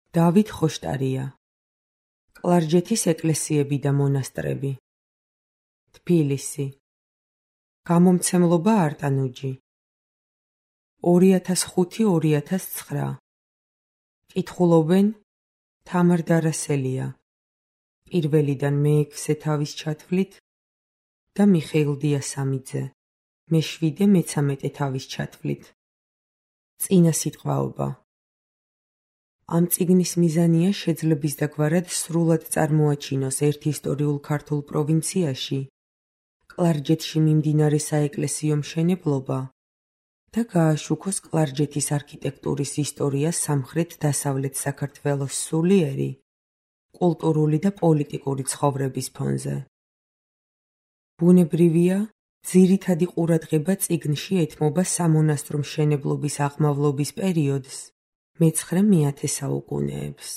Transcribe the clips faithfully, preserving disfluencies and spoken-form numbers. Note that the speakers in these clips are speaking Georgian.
დავით ხოშტარია. კლარჯეთის ეკლესიები და მონასტრები. თბილისი. გამომცემლობა არტანუჯი. ორი ათას ხუთი ორი ათას ცხრა. კითხულობენ თამარ დარასელია. პირველიდან მეექვსე თავის ჩათვლით და მიხეილ დიასამიძე. მეშვიდე მეცამეტე თავის ჩათვლით. წინა სიტყვაობა. ამ წიგნის მიზანია შეძლების დაგვარად სრულად წარმოაჩინოს ერთ ისტორიულ ქართულ პროვინციაში კლარჯეთში მიმდინარე საეკლესიო მშენებლობა და გააშუქოს კლარჯეთის არქიტექტურის ისტორია სამხრეთ-დასავლეთ საქართველოს სულიერი, კულტურული და პოლიტიკური ცხოვრების ფონზე. ბუნებრივია, ძირითადი ყურადღება წიგნში ეთმობა სამონასტრო მშენებლობის აღმავლობის პერიოდს, მეცხრე-მეათე საუკუნეებს.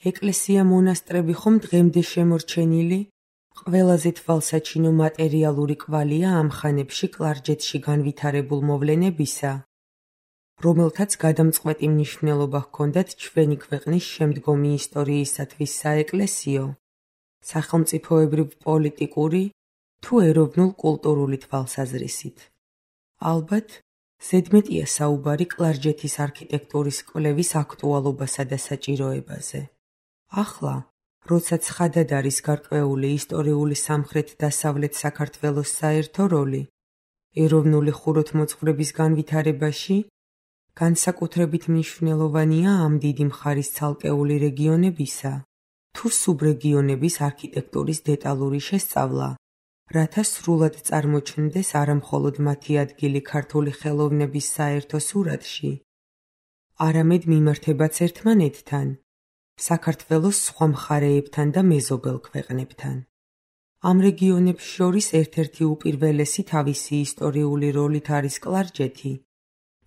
ეკლესია-მონასტრები ხომ დღემდე შემორჩენილი, ყველაზე თვალსაჩინო მატერიალური კვალია ამ ხანებში კლარჯეთში განვითარებულ მოვლენებისა, რომელთაც გადამწყვეტი მნიშვნელობა ჰქონდათ ჩვენი ქვეყნის შემდგომი ისტორიისათვის საეკლესიო, სახელმწიფოებრივ-პოლიტიკური თუ ეროვნულ-კულტურული თვალსაზრისით. ალბათ, ზედმეტია საუბარი კლარჯეთის არქიტექტურის კვლევის აქტუალობასა და საჭიროებაზე. ახლა, როცა ცხადად არის გარკვეული ისტორიული სამხრეთ-დასავლეთ საქართველოს საერთო როლი, ეროვნული ხუროთმოძღვრების განვითარებაში, განსაკუთრებით მნიშვნელოვანია ამ დიდი მხარის ცალკეული რეგიონებისა თუ სუბრეგიონების არქიტექტურის დეტალური შესწავლა, რათა სრულად წარმოჩნდეს არამხოლოდ მათი ადგილი ქართული ხელოვნების საერთო სურათში, არამედ მიმართებაც ერთმანეთთან, საქართველოს სხვა მხარეებთან და მეზობელ ქვეყნებთან. ამ რეგიონებს შორის ერთ-ერთი უპირველესი თავისი ისტორიული როლით არის კლარჯეთი,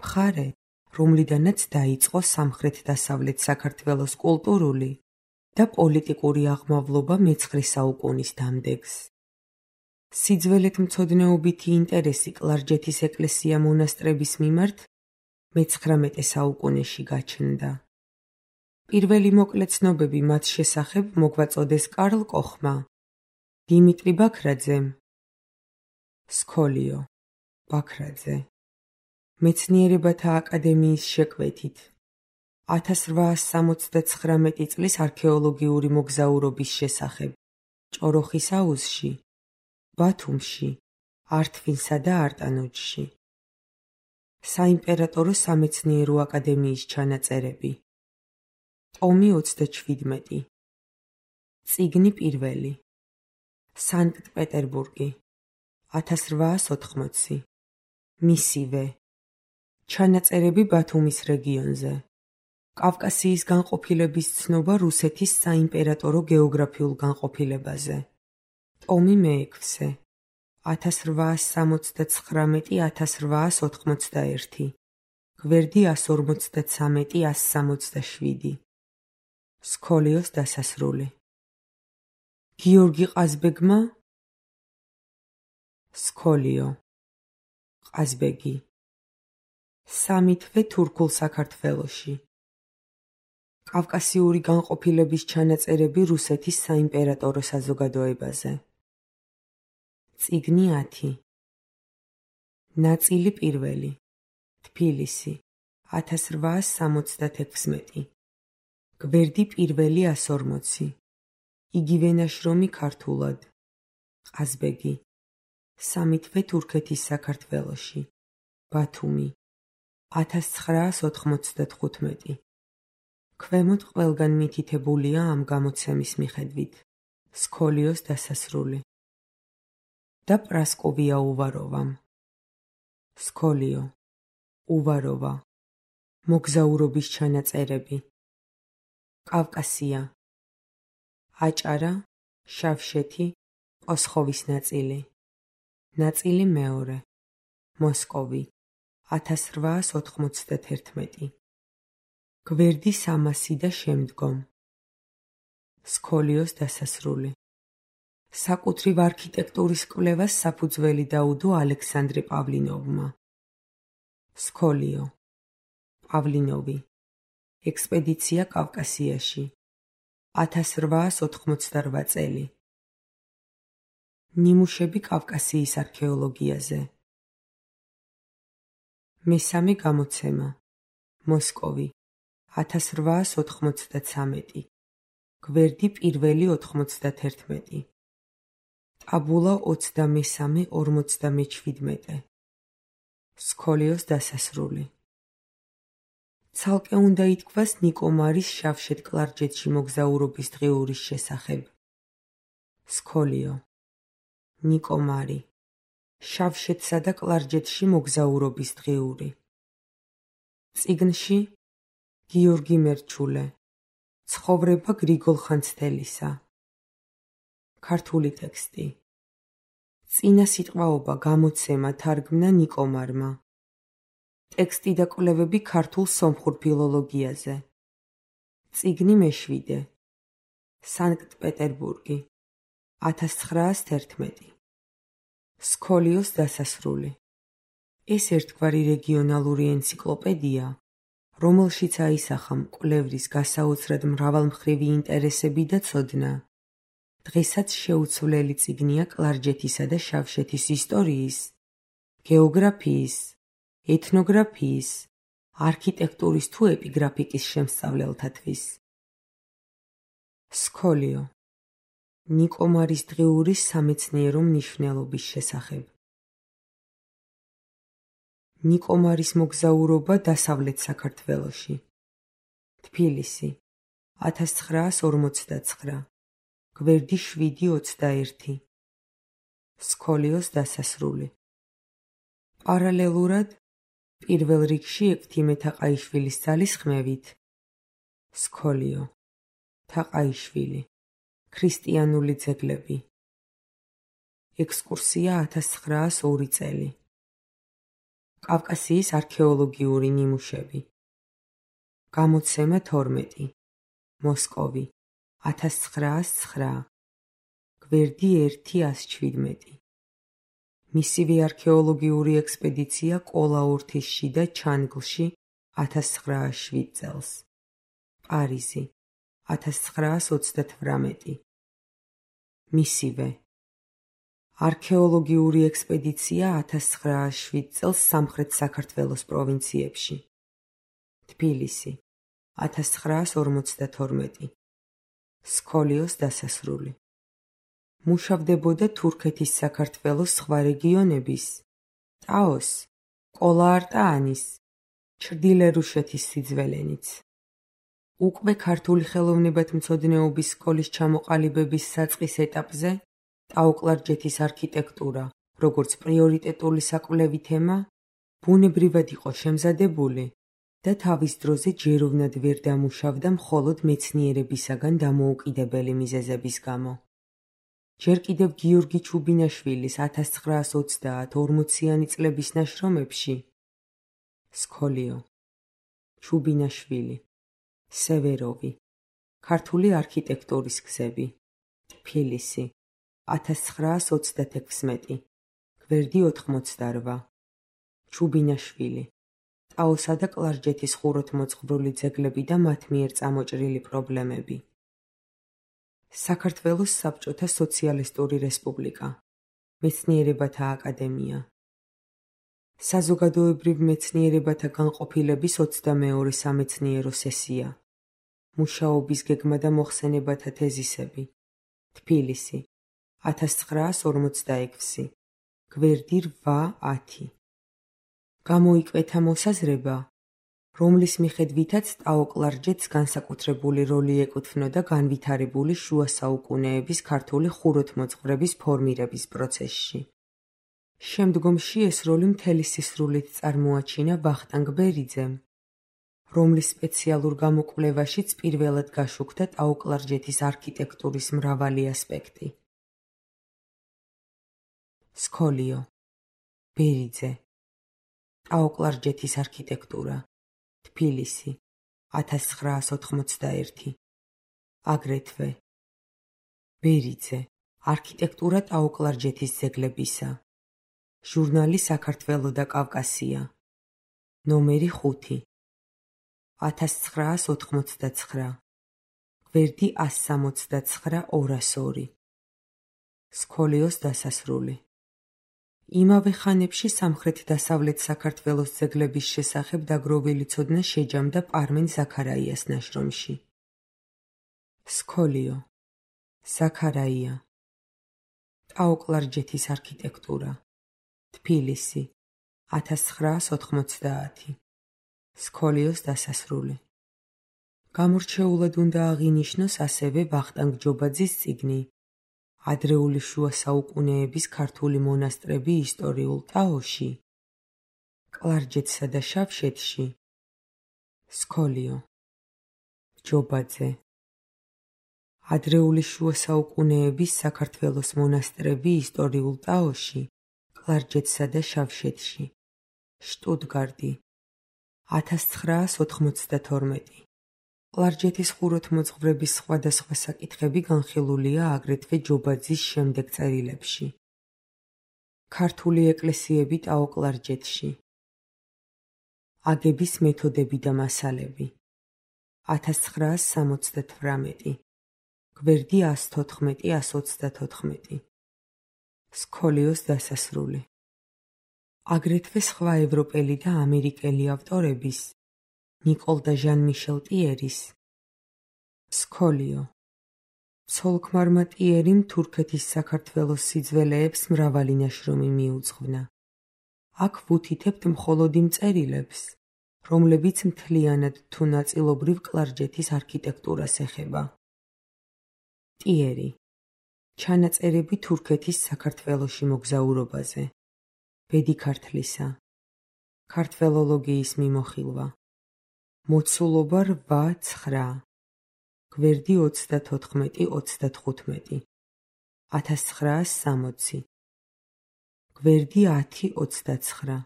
მხარე, რომლიდანაც დაიწყო სამხრეთ-დასავლეთ საქართველოს კულტურული და პოლიტიკური აღმავლობა მეცხრე საუკუნის დამდეგს. სიძველეთ მცოდნეობითი ინტერესი კლარჯეთის ეკლესია-მონასტრების მიმართ მეცხრამეტე საუკუნეში გაჩნდა. პირველი მოკლე ცნობები მათ შესახებ მოგვაწოდეს კარლ კოხმა, დიმიტრი ბაქრაძემ, სქოლიო, ბაქრაძე. მეცნიერებათა აკადემიის შეკვეთით. ათას რვაას სამოცდაცხრამეტი წლის არქეოლოგიური მოგზაურობის შესახებ ჭოროხის აუზში, ბათუმში, ართვინსა და არტანუჯში. საიმპერატორო სამეცნიერო აკადემიის ჩანაწერები. ტომი ოცდაჩვიდმეტი. წიგნი პირველი. სანქტ-პეტერბურგი. ათას რვაას ოთხმოცი. მისივე. ჩანაწერები ბათუმის რეგიონზე. კავკასიის განყოფილების ცნობა რუსეთის საიმპერატორო გეოგრაფიულ განყოფილებაზე. ტომი მეექვსე. ათას რვაას სამოცდაცხრამეტი ათას რვაას ოთხმოცდაერთი. გვერდი ასს ორმოცდაცამეტი ასს სამოცდაშვიდი. სქოლიოს დასასრული. გიორგი ყაზბეგმა. სქოლიო. ყაზბეგი. სამი თვე თურქულ საქართველოში. კავკასიური განყოფილების ჩანაწერები რუსეთის საიმპერატორო საზოგადოებაზე. წიგნი ათი. ნაწილი პირველი. თბილისი. ათას რვაას სამოცდათექვსმეტი. გვერდი პირველი ასს ორმოცი. იგივე ნაშრომი ქართულად. ყაზბეგი. სამი თვე თურქეთის საქართველოში. ბათუმი. ათას ცხრაას ოთხმოცდათხუთმეტი. ქვემოთ ყველგან მითითებულია ამ გამოცემის მიხედვით. სქოლიოს დასასრული. და პრასკოვია უვაროვამ. სქოლიო. უვაროვა. მოგზაურობის ჩანაწერები. კავკასია. აჭარა, შავშეთი, ოსხოვის ნაწილი. ნაწილი მეორე. მოსკოვი. ათას რვაას ოთხმოცდათერთმეტი. გვერდი სამასი და შემდგომ. სქოლიოს დასასრული. საკუთრივ არქიტექტურის კვლევას საფუძველი დაუდო ალექსანდრე პავლინოვმა. სქოლიო. პავლინოვი. ექსპედიცია კავკასიაში, ათას რვაას ოთხმოცდარვა წელი. ნიმუშები კავკასიის არქეოლოგიაზე. მესამე გამოცემა. მოსკოვი, ათას რვაას ოთხმოცდაცამეტი. გვერდი პირველი ოთხმოცდათერთმეტი. ტაბულა ოცდამესამე ორმოცდამეჩვიდმეტე. სქოლიოს დასასრული. ცალკე უნდა ითქვას ნიკო მარის შავშეთ კლარჯეთში მოგზაურობის დღიურის შესახებ. სქოლიო. ნიკო მარი. შავშეთსა და კლარჯეთში მოგზაურობის დღიური. წიგნში გიორგი მერჩულე. ცხოვრება გრიგოლ ხანძთელისა. ქართული ტექსტი. წინა სიტყვაობა გამოცემა თარგმნა ნიკო მარმა. ტექსტი და კვლევები ქართულ სომხურ ფილოლოგიაზე. წიგნი მეშვიდე. სანქტ-პეტერბურგი. ათას ცხრაას თერთმეტი. სქოლიოს დასასრული. ეს ერთგვარი რეგიონალური ენციკლოპედია, რომელშიც აისახა მკვლევრის გასაოცრად მრავალმხრივი ინტერესები და ცოდნა. დღესაც შეუცვლელი წიგნია კლარჯეთისა და შავშეთის ისტორიის, გეოგრაფიის, ეთნოგრაფიის, არქიტექტურის თუ ეპიგრაფიკის შემსწავლელთათვის. სქოლიო. ნიკო მარის დღიურის სამეცნიერო მნიშვნელობის შესახებ. ნიკო მარის მოგზაურობა დასავლეთ საქართველოში. თბილისი, ათას ცხრაას ორმოცდაცხრა. გვერდი შვიდი ოცდაერთი. სქოლიოს დასასრული. პარალელურად, პირველ რიგში ექვთიმე თაყაიშვილის ძალისხმევით. სქოლიო. თაყაიშვილი. ქრისტიანული ძეგლები. ექსკურსია ათას ცხრაას ორი წელი. კავკასიის არქეოლოგიური ნიმუშები. გამოცემა თორმეტი. მოსკოვი, ათას ცხრაას ცხრა. გვერდი ერთი ას შვიდმეტი. მისივე არქეოლოგიური ექსპედიცია კოლაურთისში და ჩანგლში ათას ცხრაას შვიდ წელს. პარიზი, ათას ცხრაას ოცდათვრამეტი. მისივე არქეოლოგიური ექსპედიცია ათას ცხრაას შვიდ წელს სამხრეთ საქართველოს პროვინციებში. თბილისი, ათას ცხრაას ორმოცდათორმეტი. სქოლიოს დასასრული. მუშავდებოდა თურქეთის საქართველოს სხვა რეგიონების, ტაოს, კოლა-არტაანის, ჩრდილე-რუშეთის სიძველენიც. უკვე ქართული ხელოვნებათმცოდნეობის სკოლის ჩამოყალიბების საწყის ეტაპზე ტაო-კლარჯეთის არქიტექტურა, როგორც პრიორიტეტული საკვლევი თემა, ბუნებრივად იყო შემზადებული და თავის დროზე ჯეროვნად ვერ დამუშავდა მხოლოდ მეცნიერებისაგან დამოუკიდებელი მიზეზების გამო. ჯერ კიდევ გიორგი ჩუბინაშვილის ათას ცხრაას ოცდაათ ორმოციანი წლების ნაშრომებში. სქოლიო. ჩუბინაშვილი. სევეროვი. ქართული არქიტექტურის გზები. თბილისი, ათას ცხრაას ოცდათექვსმეტი. გვერდი ოთხმოცდარვა. ჩუბინაშვილი. ტაოსა და კლარჯეთის ხუროთმოძღვრული ძეგლები და მათ მიერ წამოჭრილი პრობლემები. საქართველოს საბჭოთა სოციალისტური რესპუბლიკა. მეცნიერებათა აკადემია. საზოგადოებრივ მეცნიერებათა განყოფილების ოცდამეორე სამეცნიერო სესია. მუშაობის გეგმა და მოხსენებათა თეზისები. თბილისი, ათას ცხრაას ორმოცდაექვსი. გვერდი რვა ათი. გამოიკვეთა მოსაზრება, რომლის მიხედვითაც ტაო-კლარჯეთს განსაკუთრებული როლი ეკუთვნოდა განვითარებული შუა საუკუნეების ქართული ხუროთმოძღვრების ფორმირების პროცესში. შემდგომში ეს როლი მთელი სისრულით წარმოაჩინა ვახტანგ ბერიძემ, რომლის სპეციალურ გამოკვლევაშიც პირველად გაშუქდა ტაო-კლარჯეთის არქიტექტურის მრავალი ასპექტი. სქოლიო. ბერიძე. ტაო-კლარჯეთის არქიტექტურა. თბილისი, ათას ცხრაას ოთხმოცდაერთი. აგრეთვე. ბერიძე. არქიტექტურა ტაო-კლარჯეთის ძეგლებისა. ჟურნალი საქართველო და კავკასია. ნომერი ხუთი. ათას ცხრაას ოთხმოცდაცხრა, გვერდი ას სამოცდაცხრა ორას ორი. სქოლიოს დასასრული. იმავე ხანებში სამხრეთ-დასავლეთ საქართველოს ძეგლების შესახებ დაგროვილი ცოდნა შეჯამდა პარმენ ზაქარაიას ნაშრომში. სქოლიო, ზაქარაია, ტაო-კლარჯეთის არქიტექტურა, თბილისი, ათას ცხრაას ოთხმოცდაათი. სქოლიოს დასასრული. გამორჩეულად უნდა აღინიშნოს ასევე ვახტანგ ჯობაძის წიგნი ადრეული შუა საუკუნეების ქართული მონასტრები ისტორიულ ტაოში, კლარჯეთსა და შავშეთში. სქოლიო, ჯობაძე. ადრეული შუა საუკუნეების საქართველოს მონასტრები ისტორიულ ტაოში, კლარჯეთსა და შავშეთში. შტუტგარტი, ათას ცხრაას ოთხმოცდათორმეტი. კლარჯეთის ხუროთმოძღვრების სხვადასხვა საკითხები განხილულია აგრეთვე ჯობაძის შემდეგ წერილებში. ქართული ეკლესიები ტაო-კლარჯეთში. აგების მეთოდები და მასალები. ათას ცხრაას სამოცდათვრამეტი. გვერდი ას თოთხმეტი ას ოცდათოთხმეტი. სქოლიოს დასასრული. აგრეთვე სხვა ევროპელი და ამერიკელი ავტორების, ნიკოლ და ჟან-მიშელ ტიერის. სქოლიო. ცოლ-ქმარმა ტიერიმ თურქეთის საქართველოს სიძველეებს მრავალი ნაშრომი მიუძღვნა. აქ ვუთითებთ მხოლოდ იმ წერილებს, რომლებიც მთლიანად თუ ნაწილობრივ კლარჯეთის არქიტექტურას ეხება. ტიერი. ჩანაწერები თურქეთის საქართველოში მოგზაურობაზე. ბედი ქართლისა. ქართველოლოგიის მიმოხილვა. მოცულობა რვა ცხრა. გვერდი ოცდათოთხმეტი ოცდათხუთმეტი. ათას ცხრაას სამოცი. გვერდი ათი ოცდაცხრა.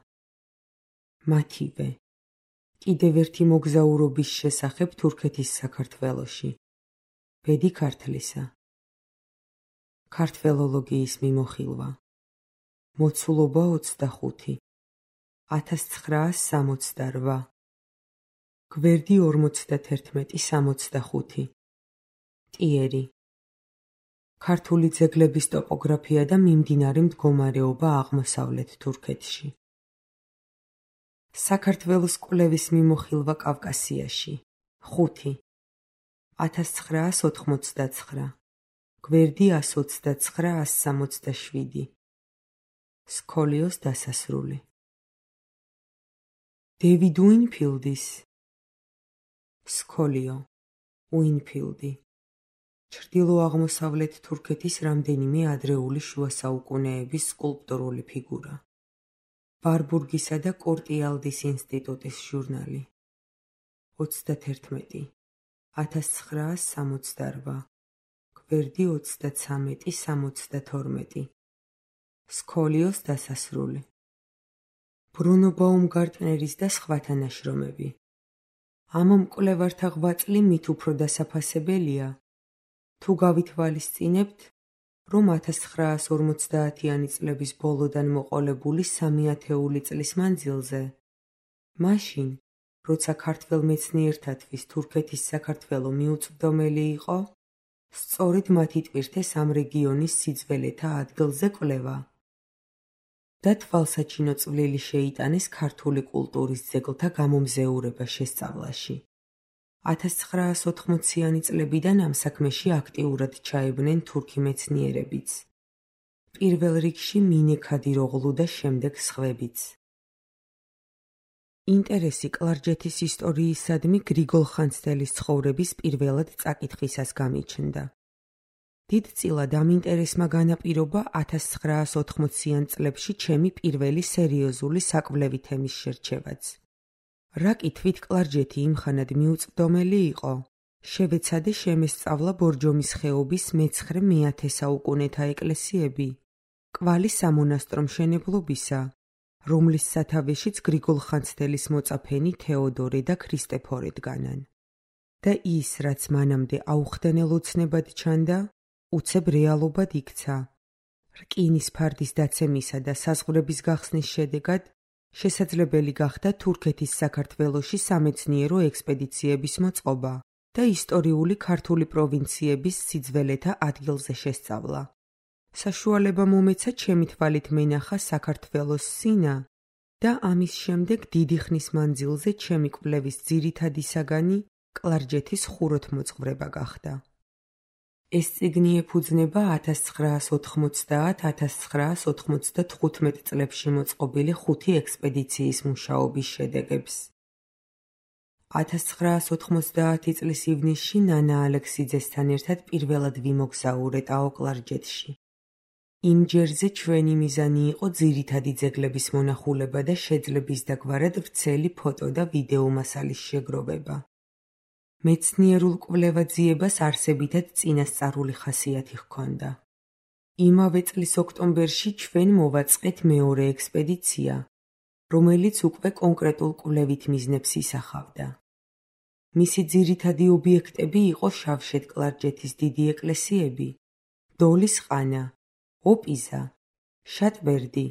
მათივე. კიდევ ერთი მოგზაურობის შესახებ თურქეთის საქართველოში. ბედი ქართლისა. ქართველოლოგიის მიმოხილვა. მოცულობა ოცდახუთი. ათას ცხრაას სამოცდარვა. გვერდი ორმოცდათერთმეტი სამოცდახუთი. ტიერი. ქართული ძეგლების ტოპოგრაფია და მიმდინარე მდგომარეობა აღმოსავლეთ თურქეთში. საქართველოს კვლევის მიმოხილვა კავკასიაში. ხუთი. ათას ცხრაას ოთხმოცდაცხრა. გვერდი ას ოცდაცხრა ას სამოცდაშვიდი. სქოლიოს დასასრული. დევიდ უინფილდის. სქოლიო, უინფილდი. ჩრდილო-აღმოსავლეთ თურქეთის რამდენიმე ადრეული შუა საუკუნეების სკულპტურული ფიგურა. ვარბურგისა და კორტიალდის ინსტიტუტის ჟურნალი. ოცდათერთმეტი. ათას ცხრაას სამოცდარვა. გვერდი ოცდაცამეტი სამოცდათორმეტი. სქოლიოს დასასრული. ბრუნო ბაუმგარტნერის და სხვათა ნაშრომები. ამ მკვლევართა ღვაწლი მით უფრო დასაფასებელია, თუ გავითვალისწინებთ, რომ ათას ცხრაას ორმოცდაათიანი წლების ბოლოდან მოყოლებული სამი ათეული წლის მანძილზე, მაშინ, როცა ქართველ მეცნიერთათვის თურქეთის საქართველო მიუწვდომელი იყო, სწორედ მათი ტვირთეს ამ რეგიონის სიძველეთა ადგილზე კვლევა და თვალსაჩინო წვლილი შეიტანეს ქართული კულტურის ძეგლთა გამომზეურება შესწავლაში. ათას ცხრაას ოთხმოციანი წლებიდან ამ საქმეში აქტიურად ჩაებნენ თურქი მეცნიერებიც. პირველ რიგში მინე ქადიროღლუ და შემდეგ სხვებიც. ინტერესი კლარჯეთის ისტორიისადმი გრიგოლ ხანძთელის ცხოვრების პირველად წაკითხვისას გამიჩნდა. დიდწილად ამ ინტერესმა განაპირობა ათას ცხრაას ოთხმოციან წლებში ჩემი პირველი სერიოზული საკვლევი თემის შერჩევაც. რა კითხვით კლარჯეთი იმხანად მიუწვდომელი იყო, შევეცადე შემესწავლა ბორჯომის ხეობის მეცხრე მეათე საუკუნეთა ეკლესიები, კვალი სამონასტრო მშენებლობისა, რომლის სათავეშიც გრიგოლ ხანძთელის მოწაფენი თეოდორე და ქრისტეფორე დგანან. და ის, რაც მანამდე აუხდენელ ოცნებად ჩანდა, უცებ რეალობად იქცა. რკინის ფარდის დაცემისა და საზღვრების გახსნის შედეგად შესაძლებელი გახდა თურქეთის საქართველოში სამეცნიერო ექსპედიციების მოწყობა და ისტორიული ქართული პროვინციების სიძველეთა ადგილზე შესწავლა. საშუალება მომეცა ჩემი თვალით მენახა საქართველოს სინა და ამის შემდეგ დიდი ხნის მანძილზე ჩემი კვლევის ძირითადი საგანი კლარჯეთის ხუროთმოძღვრება გახდა. ეს წიგნი ეფუძნება ათას ცხრაას ოთხმოცდაათ - ათას ცხრაას ოთხმოცდათხუთმეტ წლებში მოწყობილი ხუთი ექსპედიციის მუშაობის შედეგებს. ათას ცხრაას ოთხმოცდაათი წლის ივნისში ნანა ალექსიძესთან ერთად პირველად ვიმოგზაურეთაო კლარჯეთში. იმ ჯერზე ჩვენი მიზანი იყო ძირითადი ძეგლების მონახულება და შეძლების დაგვარად ვრცელი ფოტო და ვიდეო მასალის შეგროვება. მეცნიერულ კვლევაძიებას არსებითად წინასწარული ხასიათი ჰქონდა. იმავე წლის ოქტომბერში ჩვენ მოვაწყეთ მეორე ექსპედიცია, რომელიც უკვე კონკრეტულ კვლევით მიზნებს ისახავდა. მისი ძირითადი ობიექტები იყო შავშეთ კლარჯეთის დიდი ეკლესიები, დოლის ყანა, ოპიზა, შატბერდი,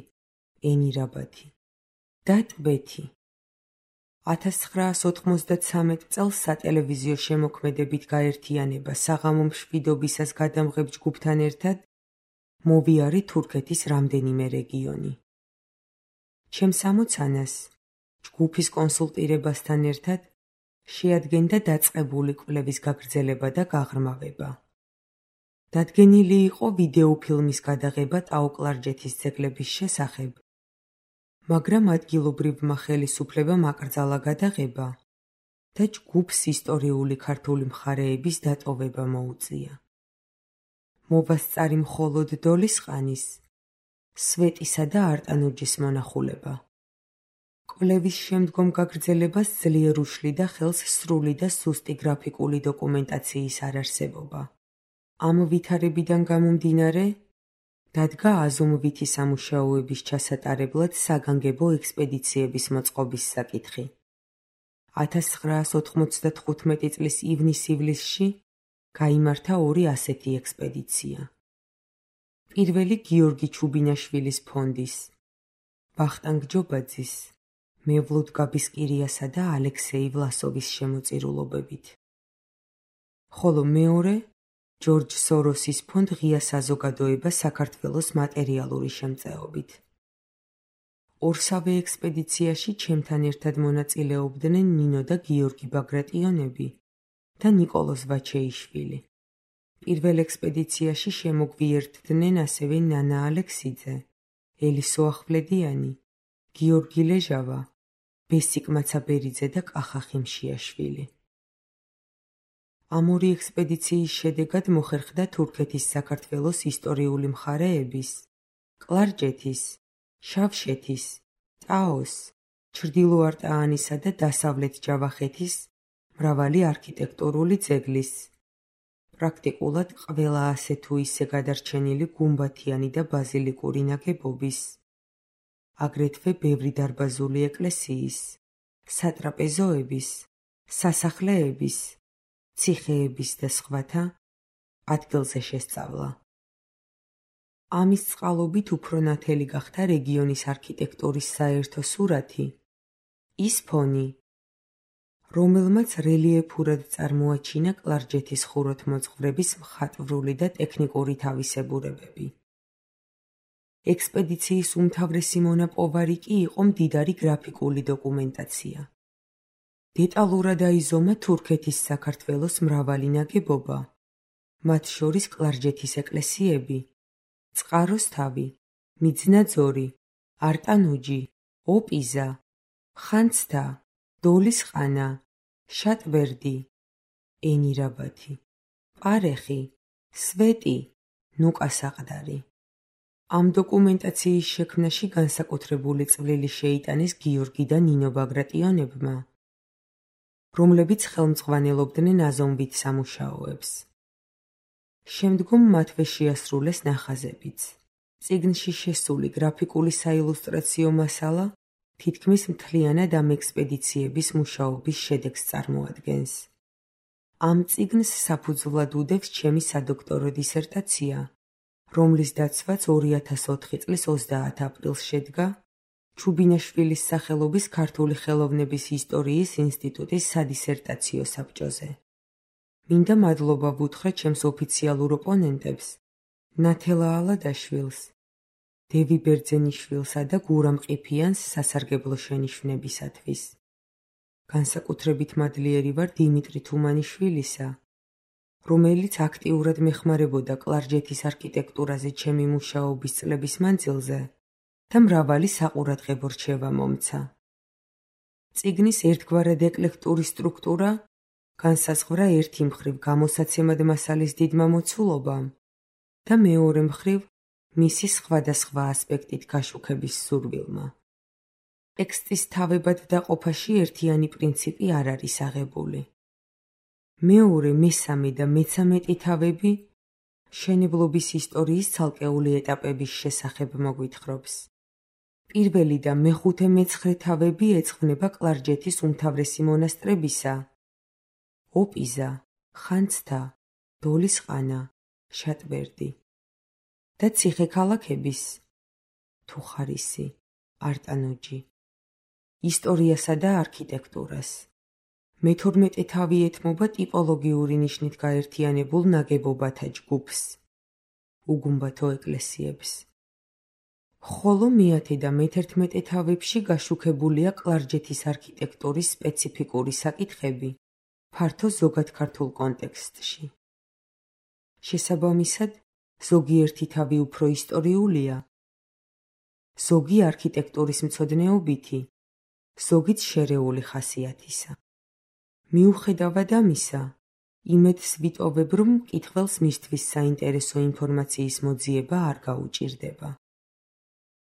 ენირაბადი და ტბეთი. ათას ცხრაას ოთხმოცდათსამეტ წელს სატელევიზიო შემოქმედებით გაერთიანება საღამო მშვიდობისას გადამღებ ჯგუფთან ერთად მოვიარე თურქეთის რამდენიმე რეგიონი. ჩემს ამოცანას ჯგუფის კონსულტირებასთან ერთად შეადგენდა დაწყებული კვლევის გაგრძელება და გაღრმავება. დადგენილი იყო ვიდეოფილმის გადაღება ტაო-კლარჯეთის ძეგლების შესახებ, მაგრამ ადგილობრივმა ხელისუფლებამ აკრძალა გადაღება და ჯგუფს ისტორიული ქართული მხარეების დატოვება მოუწია. მოვასწარი მხოლოდ დოლის ყანის, სვეტისა და არტანუჯის მონახულება. კვლევის შემდგომ გაგრძელებას ძლიერ უშლიდა ხელს სრული და სუსტი გრაფიკული დოკუმენტაციის არარსებობა. ამ ვითარებიდან გამომდინარე, დადგა აზომვითი სამუშაოების ჩასატარებლად საგანგებო ექსპედიციების მოწყობის საკითხი. ათას ცხრაას ოთხმოცდათხუთმეტი წლის ივნის-ივლისში გაიმართა ორი ასეთი ექსპედიცია. პირველი გიორგი ჩუბინაშვილის ფონდის, ვახტანგ ჯობაძის, მევლუდ გაბისკირიასა და ალექსეი ვლასოვის შემოწირულობებით. ხოლო მეორე ჯორჯ სოროსის ფონდ ღია საზოგადოება საქართველოს მატერიალური შემწეობით. ორსავე ექსპედიციაში ჩემთან ერთად მონაწილეობდნენ ნინო და გიორგი ბაგრატიონები და ნიკოლოზ ვაჩეიშვილი. პირველ ექსპედიციაში შემოგვიერთდნენ ასევე ნანა ალექსიძე, ელისო ახვლედიანი, გიორგი ლეჟავა, ბესიკ მაცაბერიძე და კახა ხიმშიაშვილი. ამ ორი ექსპედიციის შედეგად მოხერხდა თურქეთის საქართველოს ისტორიული მხარეების, კლარჯეთის, შავშეთის, ტაოს, ჩრდილოარტაანისა და დასავლეთ ჯავახეთის მრავალი არქიტექტურული ძეგლის, პრაქტიკულად ყველა ასე თუ ისე გადარჩენილი გუმბათიანი და ბაზილიკური ნაგებობის, აგრეთვე ბევრი დარბაზული ეკლესიის, სატრაპეზოების, სასახლეების, ციხეების და სხვათა ადგილზე შესწავლა. ამის წყალობით უფრო ნათელი გახდა რეგიონის არქიტექტურის საერთო სურათი, ის ფონი, რომელმაც რელიეფურად წარმოაჩინა კლარჯეთის ხუროთმოძღვრების მხატვრული და ტექნიკური თავისებურებები. ექსპედიციის უმთავრესი მონაპოვარი კი იყო მდიდარი გრაფიკული დოკუმენტაცია. დეტალურად აიზომა თურქეთის საქართველოს მრავალი ნაგებობა, მათ შორის კლარჯეთის ეკლესიები, წყაროს თავი, მიძნაძორი, არტანუჯი, ოპიზა, ხანძთა, დოლის ყანა, შატბერდი, ენირაბადი, პარეხი, სვეტი, ნუკასაყდარი. ამ დოკუმენტაციის შექმნაში განსაკუთრებული წვლილი შეიტანეს გიორგი და ნინო ბაგრატიონებმა, რომლებიც ხელმძღვანელობდნენ აზომვით სამუშაოებს. შემდგომ მათვე შეასრულეს ნახაზებიც. წიგნში შესული გრაფიკული საილუსტრაციო მასალა თითქმის მთლიანად ამ ექსპედიციების მუშაობის შედეგს წარმოადგენს. ამ წიგნს საფუძვლად უდევს ჩემი სადოქტორო დისერტაცია, რომლის დაცვაც ორი ათას ოთხი წლის ოცდაათ აპრილს შედგა ჩუბინაშვილის სახელობის ქართული ხელოვნების ისტორიის ინსტიტუტის სადისერტაციო საბჭოზე. მინდა მადლობა ვუთხრა ჩემს ოფიციალურ ოპონენტებს, ნათელა ალადაშვილს, დევი ბერძენიშვილსა და გურამ ყიფიანს სასარგებლო შენიშვნებისათვის. განსაკუთრებით მადლიერი ვარ დიმიტრი თუმანიშვილისა, რომელიც აქტიურად მეხმარებოდა კლარჯეთის არქიტექტურაზე ჩემი მუშაობის წლების მანძილზე და მრავალი საყურადღებო რჩევა მომცა. წიგნის ერთგვარად ეკლექტური სტრუქტურა განსაზღვრა ერთი მხრივ გამოსაცემად მასალის დიდმა მოცულობამ და მეორე მხრივ მისი სხვადასხვა ასპექტით გაშუქების სურვილმა. ტექსტის თავებად დაყოფაში ერთიანი პრინციპი არ არის აღებული. მეორე, მესამე და მეცამეტი თავები მშენებლობის ისტორიის ცალკეული ეტაპების შესახებ მოგვითხრობს. პირველი და მეხუთე მეცხრე თავები ეძღვნება კლარჯეთის უმთავრესი მონასტრებისა, ოპიზა, ხანძთა, დოლისყანა, შატბერდი და ციხე-ქალაქების, თუხარისი, არტანოჯი, ისტორიასა და არქიტექტურას. მეთორმეტე თავი ეთმობა ტიპოლოგიური ნიშნით გაერთიანებულ ნაგებობათა ჯგუფს, უგუმბათო ეკლესიებს. ხოლო მეათე და მეთერთმეტე თავებში გაშუქებულია კლარჯეთის არქიტექტურის სპეციფიკური საკითხები ფართო ზოგადქართულ კონტექსტში. შესაბამისად, ზოგიერთი თავი უფრო ისტორიულია, ზოგი არქიტექტურის მცოდნეობითი, ზოგიც შერეული ხასიათისა. მიუხედავად ამისა, იმედს ვიტოვებ, რომ მკითხველს მისთვის საინტერესო ინფორმაციის მოძიება არ გაუჭირდება.